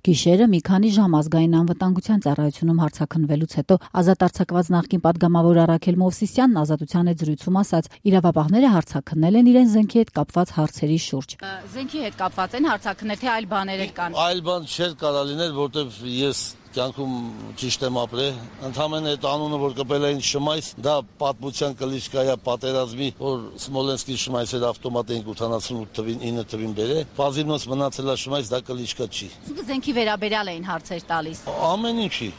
Գիշերը մի քանի ժամ ազգային անվտանգության ծառայությունում հարցաքննվելուց հետո ազատ արձակված նախկին պատգամավոր Արաքել Մովսիսյանն Ազատության հետ զրույցում ասաց, իրավապահները հարցաքննել են իրեն զենքի հետ կապված հարցերի շուրջ։ Զենքի հետ կապված են հարցաքննել, թե այլ բաներ էլ կան։ Այլ բան չէր կարա լինել, որտեվ ես կյանքում ճիշտ եմ ապրել, ընդհանրապես այդ անունը, որ կպել էին Շմայս, դա պատմության կլիչկա է պատերազմի, որ Սմոլենսկի Շմայսեր ավտոմատ էին 88 թվին 9 թվին բերել, Ֆազիլնոց մնացել է Շմայս, դա կլիչկա չի։ Զենքի վերաբերյալ էին հարցեր տալիս։ Ամեն ինչի։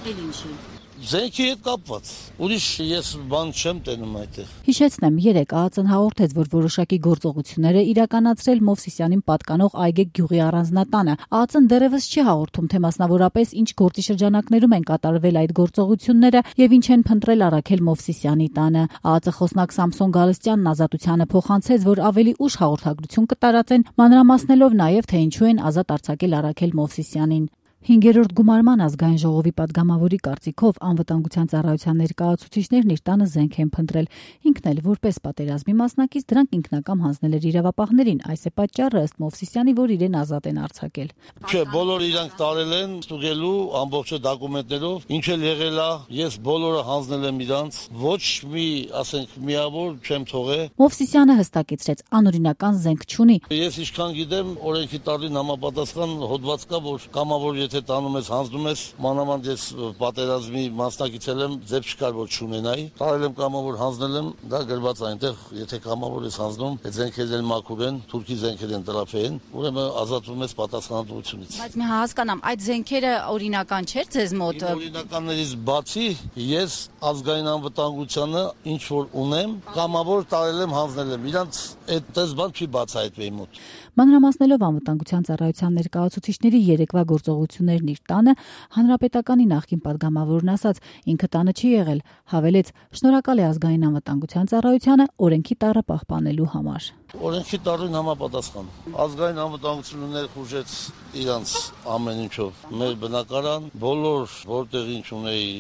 Էլ ինչի։ Զենքի հետ կապված։ Ուրիշ ես բան չեմ տենում այդտեղ։ Հիշեցնեմ, երեկ ԱԱԾ-ն հաղորդեց, որ որոշակի գործողություններ է իրականացրել Մովսիսյանին պատկանող Այգեգ գյուղի առանձնատանը։ ԱԱԾ-ն դեռևս չի հաղորդում, թե մասնավորապես ինչ գործի շրջանակներում են կատարվել այդ գործողությունները եւ ինչ են փնտրել Արաքել Մովսիսյանի տանը։ ԱԱԾ խոսնակ Սամսոն Գալստյանն Ազատությանը փոխանցեց, որ ավելի ուշ հաղորդագրություն կտարածեն, մանրամասնելով նաեւ, թե ինչու են ազատ արձակել Արաքել Մովսիսյանին։ 5-րդ գումարման ազգային ժողովի պատգամավորի կարծիքով անվտանգության ծառայության ներկայացուցիչներն իր տանը զենք են փնտրել։ Ինքն էլ որպես պատերազմի մասնակից դրանք ինքնակամ հանձնել էր իրավապահներին, այս է պատճառը ըստ Մովսիսյանի, որ իրեն ազատ են արձակել։ Չէ, բոլորը իրանք տարել են ստուգելու ամբողջ դոկումենտներով, ինչ էլ եղել է, ես բոլորը հանձնել եմ իրանց, ոչ մի, ասենք, միավոր չեմ թողել։ Մովսիսյանը հստակեցրեց, անօրինական զենք չունի։ Ես ինչքան գիտեմ, օրենքի տարին համապատասխան հոդված կա, որ կամավոր եթե տանում ես, հանձնում ես, մանավանդ ես պատերազմի մասնակից եմ, ձև չկար, որ չունենայի։ Տարել եմ կամավոր, հանձնել եմ, դա գրված այնտեղ, եթե կամավոր ես հանձնում, այդ զենքերն էլ մաքուր են, թուրքի զենքեր են տրափեն, ուրեմն ազատվում ես պատասխանատվությունից։ Բայց մի հասկանամ, այդ զենքերը օրինական չէր ձեզ մոտ։ Օրինականներից բացի ես ազգային անվտանգությանը ինչ որ ունեմ, կամավոր տարել եմ, հանձնել եմ։ Իրանց այդ տեսբան չի բացահայտվի մոտ։ Մանրամասնելով անվտանգության ծառայության ներկայացուցիչների երեկվա գործողություններն իր տանը, հանրապետականի նախկին պատգամավորն ասաց, ինքը տանը չի եղել, հավելեց, շնորհակալ է ազգային անվտանգության ծառայությանը օրենքի տառը պահպանելու համար։ Օրենքի տառին համապատասխան։ Ազգային անվտանգությունը ներխուժեց իրանց ամեն ինչով։ Մեր բնակարան, բոլոր որտեղ ինչ ունեի,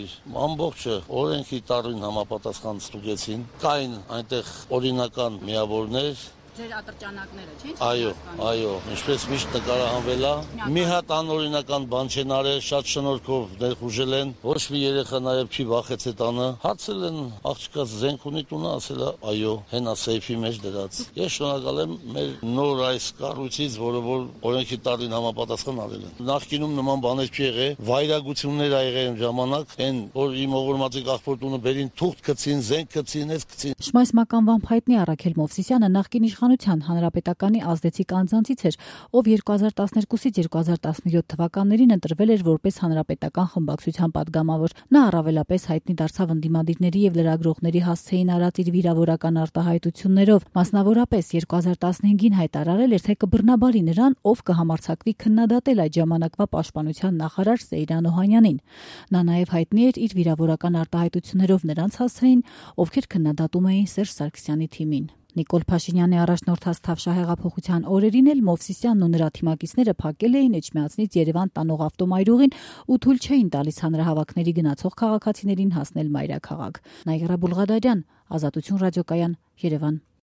ամբողջը օրենքի տառին համապատասխան ստուգեցին։ Կային այնտեղ օրինական միավորներ։ Ձեր ատրճանակները, չէ՞։ Այո, ինչպես միշտ նկարահանվել է։ Մի հատ անօրինական բան չեն արել, շատ շնորհքով ներխուժել են։ Ոչ մի երեխա նաև չի վախեցել տանը։ Հարցել են, աղջիկա զենք ունի տունը, ասել է, այո, հենա սեյֆի մեջ դրած։ Ես շնորհակալ եմ մեր նոր այս կառույցից, որը որ օրենքի տառին համապատասխան արել են։ Նախկինում նման բաներ չի եղել, վայրագություններ ա եղել ժամանակ, այն որ իմ օղորմածի աղբոր տունը բերին թուղթ գցին, զենք գցին, այս գցին։ Շմայս մականվան հայտնի Արաքել Մովսիսյանը նախկին իշխանության հանրապետականի ազդեցիկ անձանցից էր, ով 2012-ից 2017 թվականներին ընտրվել էր որպես հանրապետական խմբակցության պատգամավոր։ Նա առավելապես հայտնի դարձավ ընդդիմադիրների եւ լրագրողների հասցեին արած իր վիրավորական արտահայտություններով, մասնավորապես 2015-ին հայտարարել էր, թե կբռնաբարի նրան, ով կհամարձակվի քննադատել այդ ժամանակվա պաշտպանության նախարար Սեյրան Օհանյանին։ Նա նաեւ հայտնի էր իր վիրավորական արտահայտություններով նրանց հասցեին, ովքեր քննադատում էին Սերժ Սարգսյանի թիմին։ Նիկոլ Փաշինյանի առաջնորդած Թավշահեղափոխության օրերին էլ Մովսիսյանն ու նրա թիմակիցները փակել էին Էջմիածնից Երևան տանող ավտոմայրուղին ու թույլ չէին տալիս հանրահավաքների գնացող քաղաքացիներին հասնել մայրաքաղաք։ Նայիրա Բուլղադարյան, Ազատություն ռադիոկայան, Երևան։